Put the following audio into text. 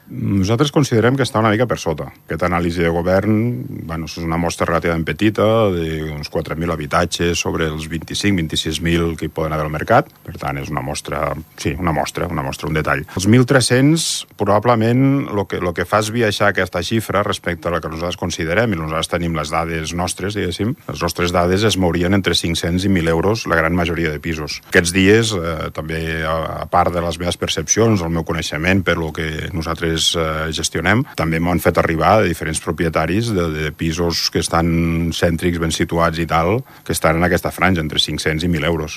Nosaltres considerem que està una mica per sota. Aquesta anàlisi de govern, és una mostra relativament petita, d'uns 4.000 habitatges sobre els 25-26.000 que hi poden haver al mercat. Per tant, és una mostra, un detall. Els 1.300, probablement, el que fa és biaixar aquesta xifra respecte a la que nosaltres considerem, i nosaltres tenim les dades nostres, diguéssim. Les nostres dades es mourien entre 500 i 1.000 euros la gran majoria de pisos. Aquests dies, també, a part de les meves percepcions, el meu coneixement per lo que nosaltres gestionem, també m'han fet arribar de diferents propietaris de pisos que estan cèntrics, ben situats i tal, que estan en aquesta franja, entre 500 i 1.000 euros.